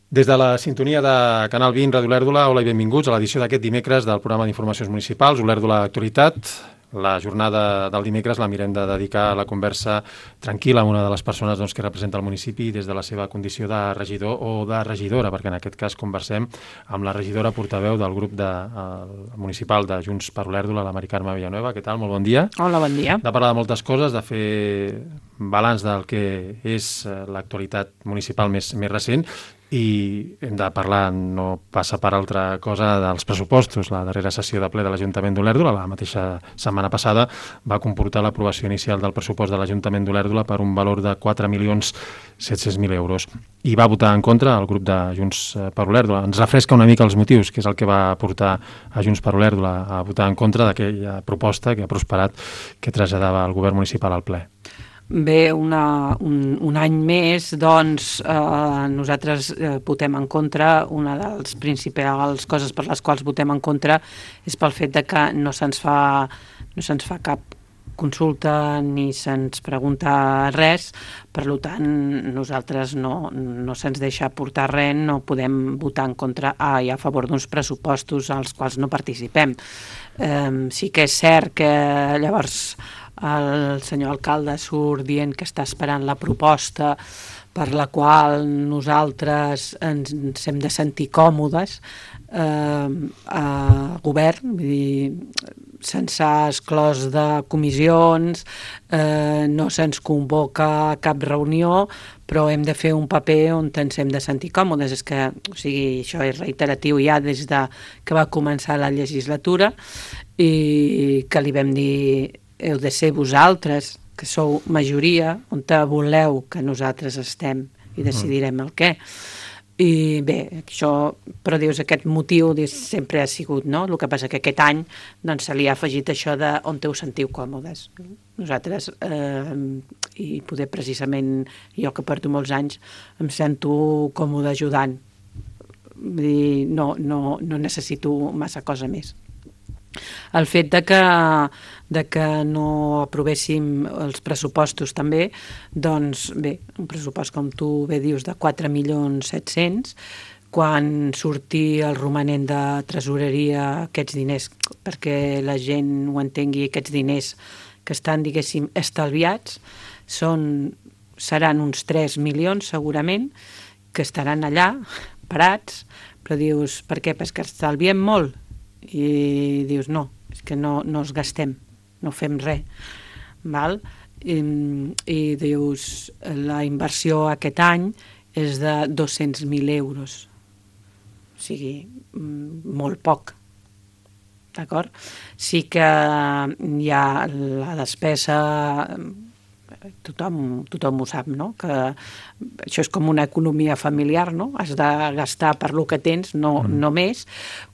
Des de la sintonia de Canal 20, Ràdio Olèrdola, hola i benvinguts a l'edició d'aquest dimecres del programa d'Informacions Municipals, Olèrdola Actualitat. La jornada del dimecres la mirem de dedicar a la conversa tranquil·la amb una de les persones que representa el municipi des de la seva condició de regidor o de regidora, perquè en aquest cas conversem amb la regidora portaveu del grup municipal de Junts per Olèrdola, la Mari Carme Villanueva. Què tal? Molt bon dia. Hola, bon dia. De parlar de moltes coses, de fer balanç del que és l'actualitat municipal més recent, i hem de parlar, no passa per altra cosa, dels pressupostos. La darrera sessió de ple de l'Ajuntament d'Olèrdola, la mateixa setmana passada, va comportar l'aprovació inicial del pressupost de l'Ajuntament d'Olèrdola per un valor de 4.700.000 euros. I va votar en contra el grup de Junts per Olèrdola. Ens refresca una mica els motius, que és el que va portar a Junts per Olèrdola a votar en contra d'aquella proposta que ha prosperat, que traslladava el govern municipal al ple. Bé, un any més, doncs, nosaltres votem en contra. Una de les principals coses per les quals votem en contra és pel fet de que no se'ns fa cap consulta ni se'ns pregunta res. Per tant, nosaltres no se'ns deixa portar res, no podem votar en contra i a favor d'uns pressupostos als quals no participem. Sí que és cert que llavors el senyor alcalde surt dient que està esperant la proposta per la qual nosaltres ens hem de sentir còmodes a govern, vull dir, se'ns ha exclòs de comissions, no se'ns convoca a cap reunió, però hem de fer un paper on ens hem de sentir còmodes. És que, o sigui, això és reiteratiu ja des de que va començar la legislatura, i que li vam dir: heu de ser vosaltres, que sou majoria, on voleu que nosaltres estem i decidirem el què. I bé, això, però dius, aquest motiu sempre ha sigut, no? El que passa que aquest any doncs, se li ha afegit això de on us sentiu còmodes. Nosaltres, i poder precisament jo que porto molts anys, em sento còmode ajudant. Vull dir, no necessito massa cosa més. El fet de que no aprovéssim els pressupostos també, doncs bé, un pressupost, com tu bé dius, de 4.700.000, quan surti el romanent de tresoreria, aquests diners, perquè la gent ho entengui, aquests diners que estan, diguéssim, estalviats, seran uns 3 milions segurament, que estaran allà, parats, però dius, per què? Perquè estalviem molt. I dius, no, és que no els gastem, no fem res, val? I dius, la inversió aquest any és de 200.000 euros, o sigui, molt poc, d'acord? Sí que hi ha la despesa, tothom ho sap, no? Que això és com una economia familiar, no? Has de gastar per lo que tens, no més,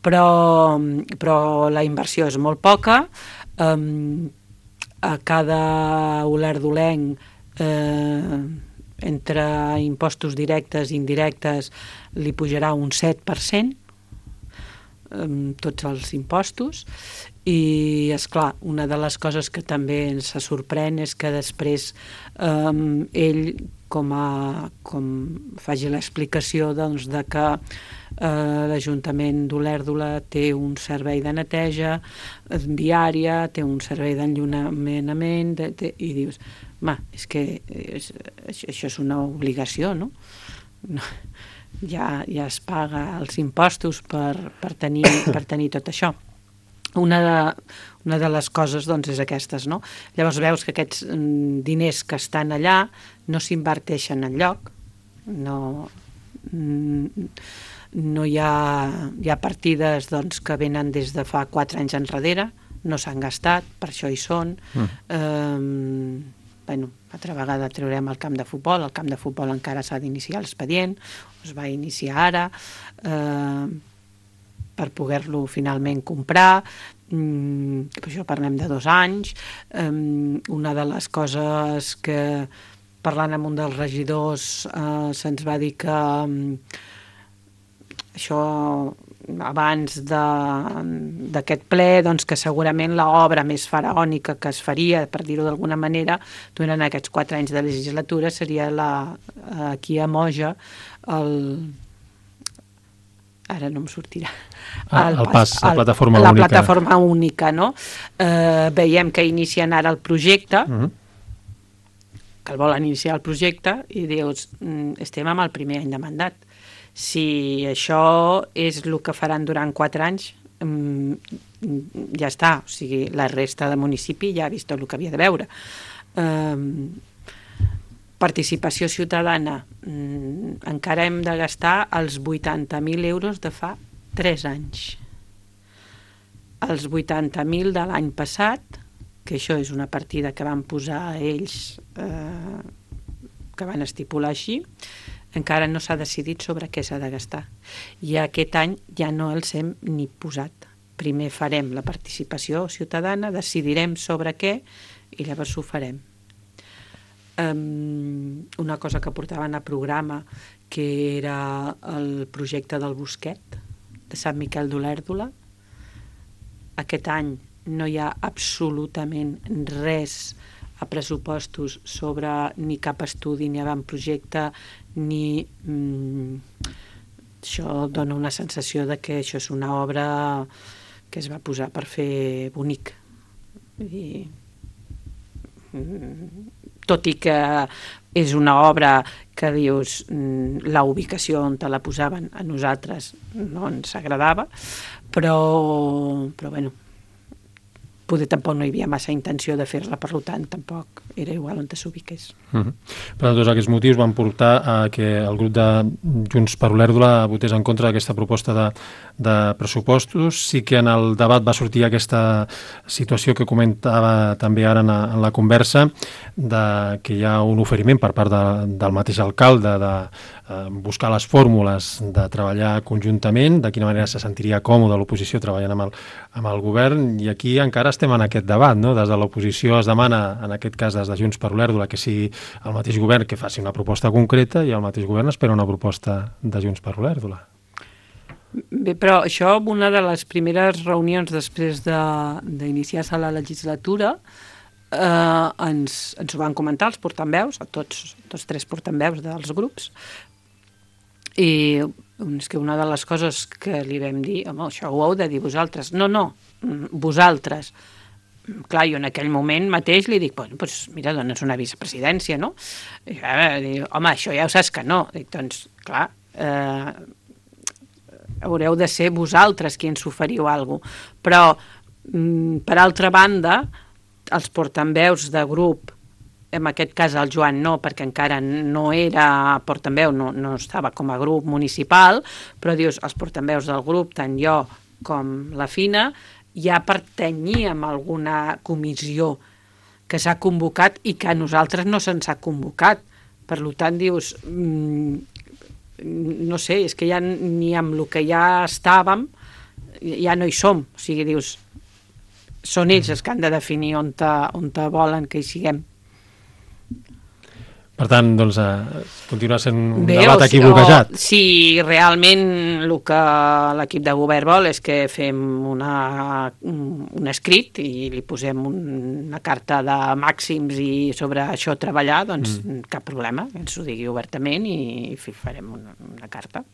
però la inversió és molt poca. A cada olèrdolenc, entre impostos directes i indirectes, li pujarà un 7%, tots els impostos. I, esclar, una de les coses que també ens sorprèn és que després ell, com faci l'explicació, doncs, de que l'Ajuntament d'Olèrdola té un servei de neteja viària, té un servei d'enllunament, i dius, és que això és una obligació, no? Ja es paga els impostos per tenir tot això. Una de les coses, doncs, és aquestes, no? Llavors veus que aquests diners que estan allà no s'inverteixen enlloc, no hi ha partides, doncs, que venen des de fa 4 anys enrere, no s'han gastat, per això hi són. Altra vegada traurem el camp de futbol encara s'ha d'iniciar l'expedient, es va iniciar ara, per poder-lo finalment comprar, per això parlem de 2 anys. Una de les coses que, parlant amb un dels regidors, se'ns va dir que això abans d'aquest ple, doncs que segurament l'obra més faraònica que es faria, per dir-ho d'alguna manera, durant aquests 4 anys de legislatura seria aquí a Moja ara no em sortirà. El PAS, la plataforma única. La plataforma única, no? Veiem que inicien ara el projecte, que el volen iniciar el projecte, i dius, estem amb el primer any de mandat. Si això és el que faran durant 4 anys, ja està. O sigui, la resta de municipi ja ha vist tot el que havia de veure. Participació ciutadana, encara hem de gastar els 80.000 euros de fa 3 anys. Els 80.000 de l'any passat, que això és una partida que van posar ells, que van estipular així, encara no s'ha decidit sobre què s'ha de gastar. I aquest any ja no els hem ni posat. Primer farem la participació ciutadana, decidirem sobre què i llavors ho farem. Una cosa que portaven a programa, que era el projecte del Bosquet de Sant Miquel d'Olèrdola. Aquest any no hi ha absolutament res a pressupostos sobre ni cap estudi, ni avantprojecte, ni... Això dona una sensació de que això és una obra que es va posar per fer bonic. I... tot i que és una obra que dius la ubicació on te la posaven a nosaltres no ens agradava, però bueno, poder tampoc no hi havia massa intenció de fer-la, per tant tampoc era igual on s'ubiqués. Per tots aquests motius van portar a que el grup de Junts per Olèrdola votés en contra d'aquesta proposta de pressupostos. Sí que en el debat va sortir aquesta situació que comentava també ara en la conversa, de que hi ha un oferiment per part del mateix alcalde de buscar les fórmules de treballar conjuntament, de quina manera se sentiria còmode l'oposició treballant amb el govern, i aquí encara estem en aquest debat, no? Des de l'oposició es demana, en aquest cas des de Junts per Olèrdola, que sigui el mateix govern que faci una proposta concreta, i el mateix govern espera una proposta de Junts per Olèrdola. Bé, però això, una de les primeres reunions després d'iniciar-se la legislatura, ens ho van comentar els portaveus, tots 3 portaveus dels grups, i és que una de les coses que li vam dir, home, això ho heu de dir vosaltres. No, vosaltres. Clar, jo en aquell moment mateix li dic, doncs mira, dones una vicepresidència, no? I dic, home, això ja ho saps que no. Dic, doncs, clar, haureu de ser vosaltres qui ens oferiu alguna cosa. Però, per altra banda, els portaveus de grup, en aquest cas el Joan no, perquè encara no era portaveu, no estava com a grup municipal, però dius, els portaveus del grup, tant jo com la Fina, ja pertanyíem a alguna comissió que s'ha convocat i que a nosaltres no se'ns ha convocat. Per tant, dius, no sé, és que ja ni amb el que ja estàvem ja no hi som. O sigui, dius, són ells els que han de definir on volen que hi siguem. Per tant, doncs, continua sent un debat aquí bloquejat. Si realment el que l'equip de govern vol és que fem un escrit i li posem una carta de màxims i sobre això treballar, doncs cap problema, ens ho digui obertament i farem una carta.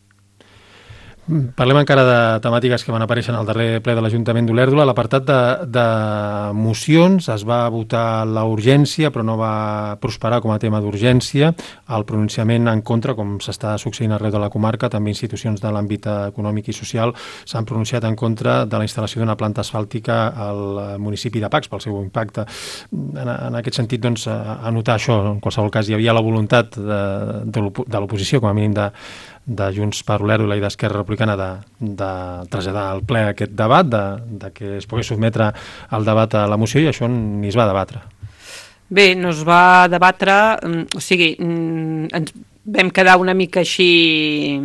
Parlem encara de temàtiques que van aparèixer en el darrer ple de l'Ajuntament d'Olèrdola. L'apartat de mocions es va votar la urgència, però no va prosperar com a tema d'urgència. El pronunciament en contra, com s'està succeint arreu de la comarca, també institucions de l'àmbit econòmic i social s'han pronunciat en contra de la instal·lació d'una planta asfàltica al municipi de Pacs pel seu impacte. En aquest sentit, doncs, anotar això. En qualsevol cas, hi havia la voluntat de l'oposició, com a mínim de Junts per Olèrdola i d'Esquerra Republicana de traslladar al ple aquest debat, de que es pogués sotmetre al debat a la moció, i això ni es va debatre. Bé, no es va debatre, o sigui, ens vam quedar una mica així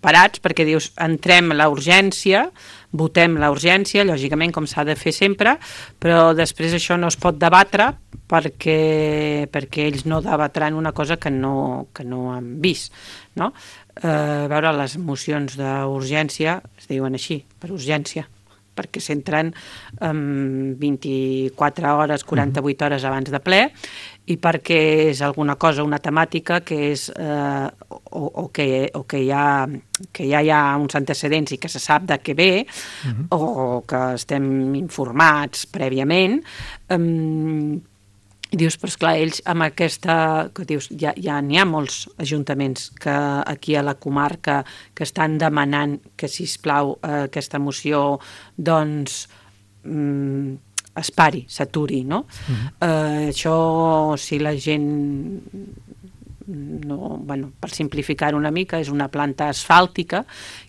parats, perquè dius, entrem a la urgència, votem la urgència, lògicament, com s'ha de fer sempre, però després això no es pot debatre perquè ells no debatran una cosa que no han vist, no? A veure, les mocions d'urgència es diuen així, per urgència, perquè s'entren 24 hores, 48 hores abans de ple, i perquè és alguna cosa, una temàtica que és que ja hi ha uns antecedents i que se sap de què ve, o que estem informats prèviament. I dius, però esclar, ells amb aquesta... que dius, ja n'hi ha molts ajuntaments que aquí a la comarca que estan demanant que, sisplau, aquesta moció, doncs, es pari, s'aturi, no? Això, si la gent... No, bueno, per simplificar una mica, és una planta asfàltica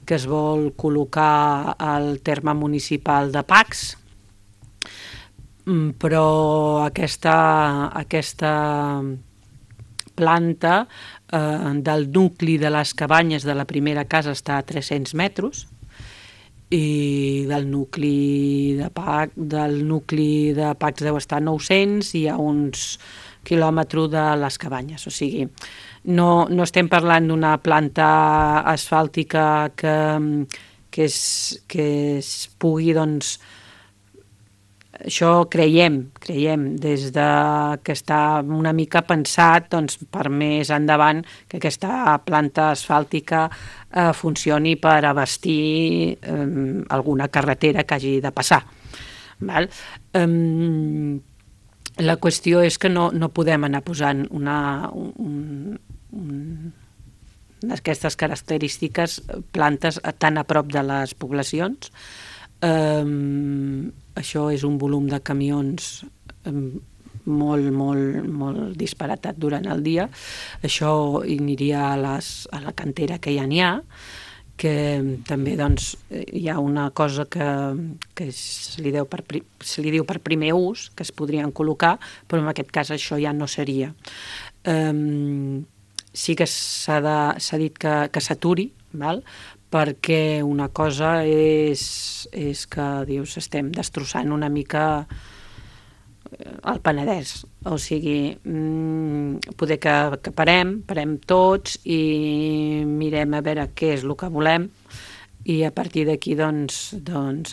que es vol col·locar al terme municipal de Pacs, però aquesta planta del nucli de les cabanyes de la primera casa està a 300 metres i del nucli de Pacs deu estar a 900 i hi ha uns quilòmetres de les cabanyes, o sigui, no estem parlant d'una planta asfàltica que es pugui, doncs, això creiem des de que està una mica pensat, doncs, per més endavant que aquesta planta asfàltica funcioni per abastir alguna carretera que hagi de passar. Val? La qüestió és que no podem anar posant d'aquestes característiques plantes tan a prop de les poblacions. Això és un volum de camions molt disparatat durant el dia. Això aniria a la cantera que ja n'hi ha, que també, doncs, hi ha una cosa que se li diu per primer ús, que es podrien col·locar, però en aquest cas això ja no seria. Sí que s'ha dit que s'aturi, val? Perquè una cosa és que, dius, estem destrossant una mica el Penedès, o sigui, poder que parem tots i mirem a veure què és el que volem i a partir d'aquí doncs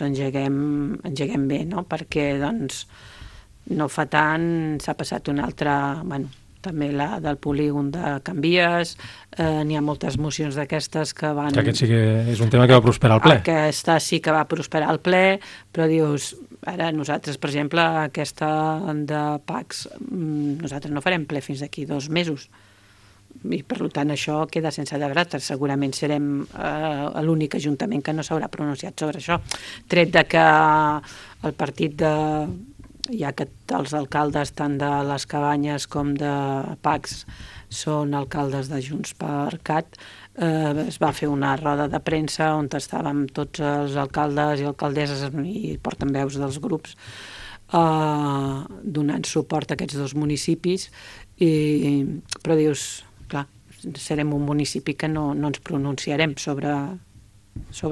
engeguem bé, no? Perquè doncs no fa tant s'ha passat una altra, bueno, també la del polígon de Can Vies, n'hi ha moltes mocions d'aquestes que van... Que aquest sí que és un tema que va prosperar al ple. Aquesta sí que va prosperar al ple, però dius, ara nosaltres, per exemple, aquesta de Pacs, nosaltres no farem ple fins d'aquí 2 mesos. I per tant això queda sense debat. Segurament serem l'únic ajuntament que no s'haurà pronunciat sobre això. Tret de que el partit de... ja que els alcaldes tant de les Cabanyes com de Pacs són alcaldes de Junts per Cat, es va fer una roda de premsa on estàvem tots els alcaldes i alcaldesses i portaveus dels grups donant suport a aquests 2 municipis, però dius, clar, serem un municipi que no ens pronunciarem sobre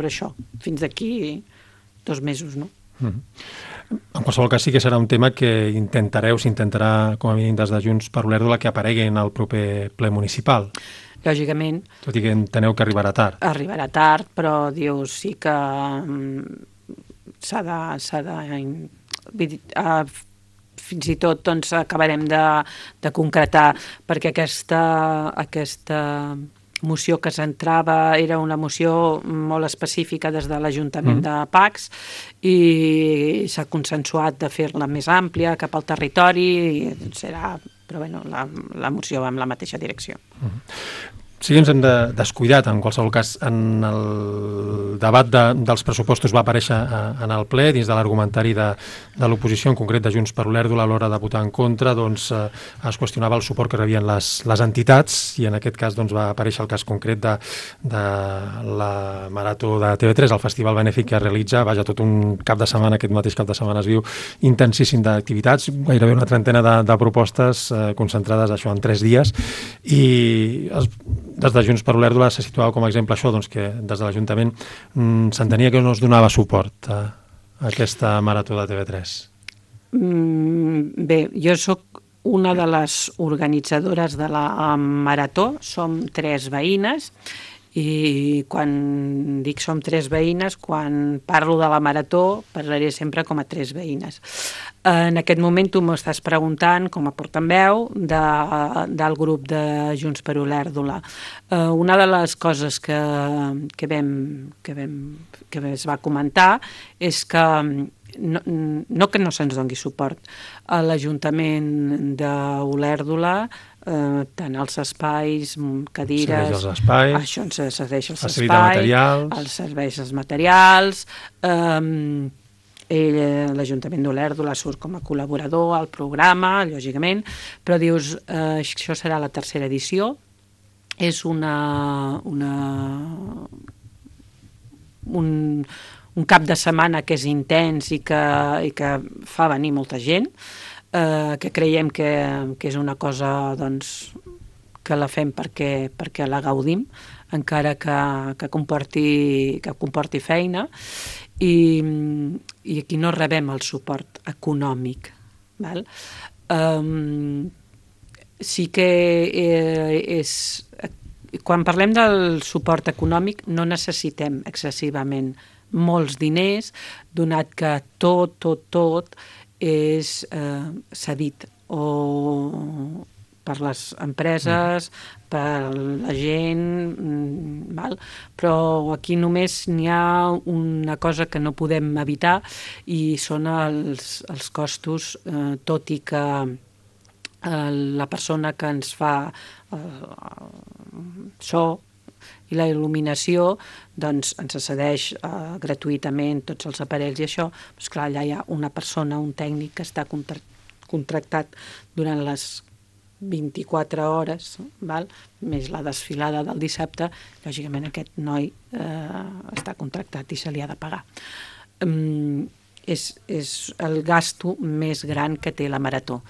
això fins d'aquí 2 mesos, no? En qualsevol cas sí que serà un tema que s'intentarà com a mínim des de Junts per Olèrdola que aparegui en el proper ple municipal. Lògicament. Tot i que enteneu que arribarà tard. Arribarà tard, però dius sí que s'ha de fins i tot doncs acabarem de concretar, perquè aquesta moció que s'entrava era una moció molt específica des de l'Ajuntament de Pacs i s'ha consensuat de fer-la més àmplia cap al territori i serà, però bueno, la moció va en la mateixa direcció. Sí que ens hem descuidat, en qualsevol cas, en el debat dels pressupostos va aparèixer en el ple, dins de l'argumentari de l'oposició, en concret de Junts per Olèrdola, a l'hora de votar en contra, doncs es qüestionava el suport que rebien les entitats, i en aquest cas doncs, va aparèixer el cas concret de la Marató de TV3, el festival benèfic que realitza, vaja, tot un cap de setmana, aquest mateix cap de setmana es viu intensíssim d'activitats, gairebé una trentena de propostes concentrades això en 3 dies, i des de Junts per Olèrdola se situava com a exemple això, doncs que des de l'Ajuntament s'entenia que no es donava suport a aquesta Marató de TV3. Bé, jo sóc una de les organitzadores de la Marató, som 3 veïnes I quan dic som 3 veïnes, quan parlo de la marató, parlaré sempre com a 3 veïnes. En aquest moment tu m'estàs preguntant, com a portaveu del grup de Junts per Olèrdola. Una de les coses que es va comentar és que no que no se'ns doni suport a l'Ajuntament d'Olèrdola, tant els espais, cadires, els espais, això ens cedeix els espais, materials, els serveis, els materials, l'Ajuntament d'Olèrdola surt com a col·laborador al programa, lògicament, però dius, això serà la tercera edició, és un cap de setmana que és intens i que fa venir molta gent, que creiem que és una cosa doncs, que la fem perquè la gaudim, encara que comporti feina, i aquí no rebem el suport econòmic. Val? Sí que quan parlem del suport econòmic no necessitem excessivament molts diners, donat que tot és cedit o per les empreses, per la gent, val? Però aquí només n'hi ha una cosa que no podem evitar i són els costos, tot i que la persona que ens fa so i la il·luminació doncs ens cedeix gratuïtament tots els aparells i això, doncs clar, allà hi ha una persona, un tècnic que està contractat durant les 24 hores, val? Més la desfilada del dissabte, lògicament aquest noi està contractat i se li ha de pagar. És el gasto més gran que té la marató.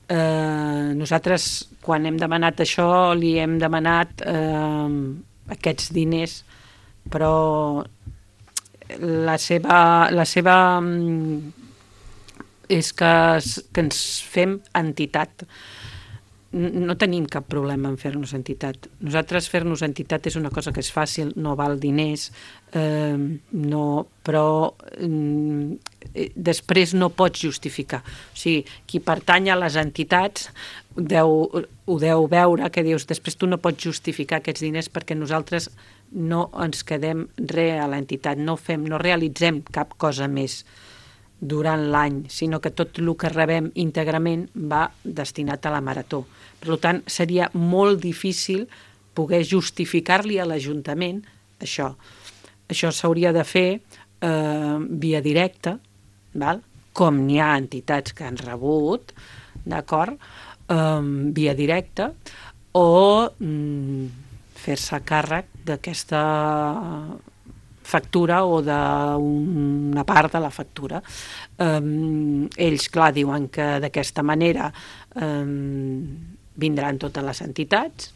Nosaltres, quan hem demanat això, li hem demanat aquests diners, però la seva és que ens fem entitat. No tenim cap problema en fer-nos entitat. Nosaltres fer-nos entitat és una cosa que és fàcil, no val diners, però després no pots justificar. O sigui, qui pertany a les entitats ho deu veure, que dius, després tu no pots justificar aquests diners perquè nosaltres no ens quedem res a l'entitat, no realitzem cap cosa més durant l'any, sinó que tot el que rebem íntegrament va destinat a la marató. Per tant, seria molt difícil poder justificar-li a l'Ajuntament això. Això s'hauria de fer via directa, val? Com n'hi ha entitats que han rebut, d'acord? Via directa, o fer-se càrrec d'aquesta factura o d'una part de la factura. Ells, clar, diuen que d'aquesta manera vindran totes les entitats.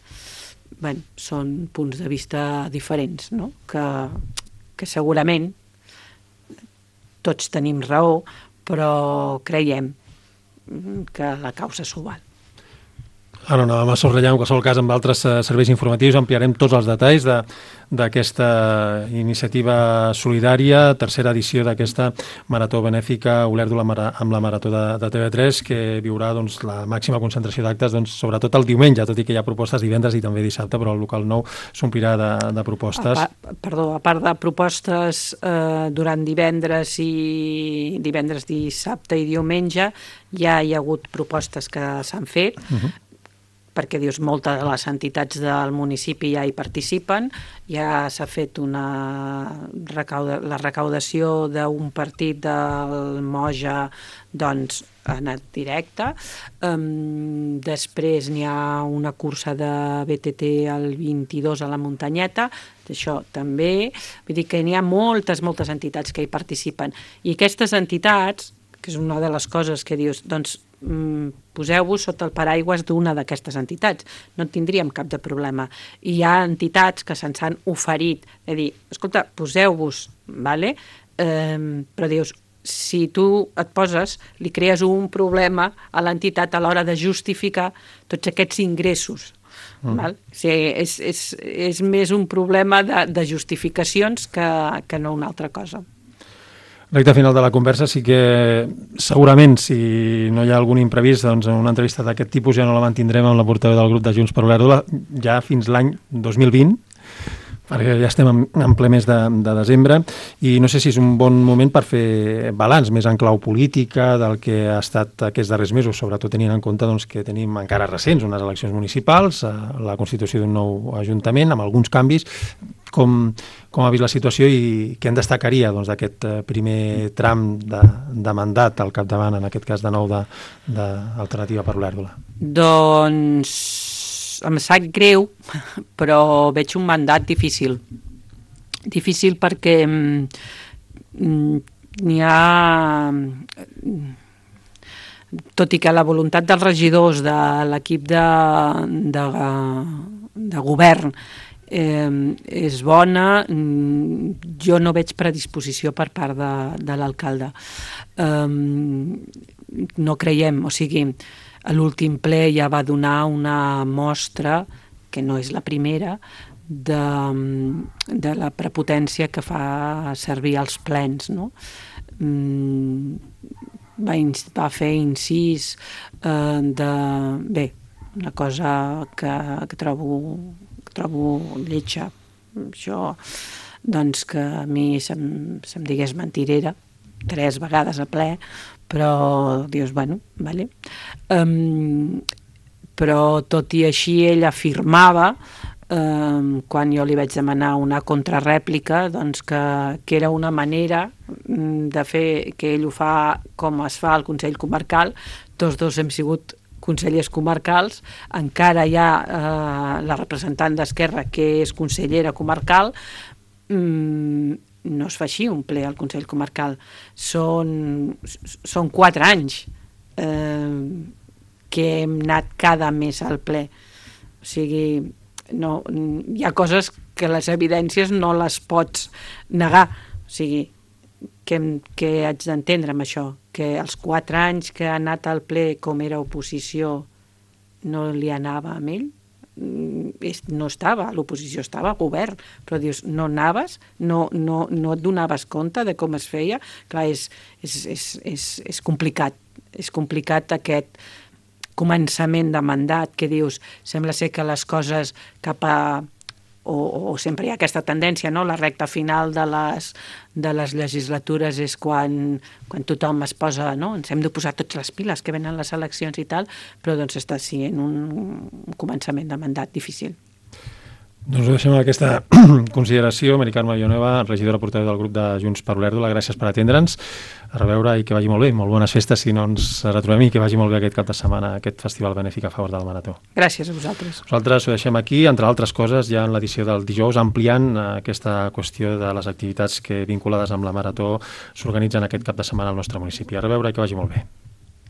Bé, són punts de vista diferents, no? Que segurament tots tenim raó, però creiem que la causa s'ho val. Ara anàvem a subratllar, en qualsevol cas, amb altres serveis informatius ampliarem tots els detalls d'aquesta iniciativa solidària, tercera edició d'aquesta marató benèfica Olèrdola amb la marató de TV3, que viurà doncs, la màxima concentració d'actes, doncs, sobretot el diumenge, tot i que hi ha propostes divendres i també dissabte, però el local nou s'omplirà de propostes. A part de propostes durant divendres, dissabte i diumenge, ja hi ha hagut propostes que s'han fet, perquè dius, moltes de les entitats del municipi ja hi participen, ja s'ha fet la recaudació d'un partit del Moja, doncs ha anat directe. Després n'hi ha una cursa de BTT el 22 a la Muntanyeta, això també, vull dir que n'hi ha moltes entitats que hi participen, i aquestes entitats, que és una de les coses que dius, doncs poseu-vos sota el paraigües d'una d'aquestes entitats, no tindríem cap de problema. I hi ha entitats que se'ns han oferit de dir, escolta, poseu-vos, vale? Però dius, si tu et poses, li crees un problema a l'entitat a l'hora de justificar tots aquests ingressos. Val? O sigui, és més un problema de justificacions que no una altra cosa. Recte final de la conversa, sí que segurament, si no hi ha algun imprevist, doncs una entrevista d'aquest tipus ja no la mantindrem amb la portaveu del grup de Junts per Olèrdola ja fins l'any 2020, perquè ja estem en ple mes de desembre, i no sé si és un bon moment per fer balanç més en clau política del que ha estat aquests darrers mesos, sobretot tenint en compte doncs, que tenim encara recents unes eleccions municipals, la constitució d'un nou ajuntament, amb alguns canvis. Com ha vist la situació i què en destacaria doncs, d'aquest primer tram de mandat al capdavant, en aquest cas de nou d'Alternativa per Olèrdola? Doncs em sap greu, però veig un mandat difícil. Difícil perquè n'hi ha... Tot i que la voluntat dels regidors de l'equip de govern és bona, jo no veig predisposició per part de l'alcalde. No creiem, o sigui, a l'últim ple ja va donar una mostra, que no és la primera, de la prepotència que fa servir els plens, no? Va fer incís bé, una cosa que trobo lletja. Això, doncs, que a mi se'm digués mentirera 3 vegades a ple, però dius, bueno, vale. Però tot i així ell afirmava, quan jo li vaig demanar una contrarèplica, doncs que era una manera de fer, que ell ho fa com es fa al Consell Comarcal. Tots dos hem sigut consellers comarcals, encara hi ha la representant d'Esquerra que és consellera comarcal. No es fa així un ple al Consell Comarcal, són 4 anys que hem anat cada mes al ple. O sigui, no, hi ha coses que les evidències no les pots negar. O sigui, què haig d'entendre amb això? Que els 4 anys que ha anat al ple com era oposició no li anava amb ell? No estava, l'oposició estava a govern, però dius, no anaves, no et donaves compte de com es feia. Clar, és complicat, és complicat aquest començament de mandat que dius, sembla ser que les coses cap a... o sempre hi ha aquesta tendència, no? La recta final de les legislatures és quan tothom es posa, no? Ens hem de posar tots les piles que venen les eleccions i tal, però doncs està sent un començament de mandat difícil. Doncs ho deixem amb aquesta consideració. Mari Carme Villanueva, regidora portaveu del grup de Junts per Olèrdola, gràcies per atendre'ns. A reveure i que vagi molt bé. Molt bones festes si no ens retrobem, i que vagi molt bé aquest cap de setmana, aquest festival benèfic a favor del Marató. Gràcies a vosaltres. Nosaltres ho deixem aquí, entre altres coses, ja en l'edició del dijous, ampliant aquesta qüestió de les activitats que vinculades amb la Marató s'organitzen aquest cap de setmana al nostre municipi. A reveure i que vagi molt bé.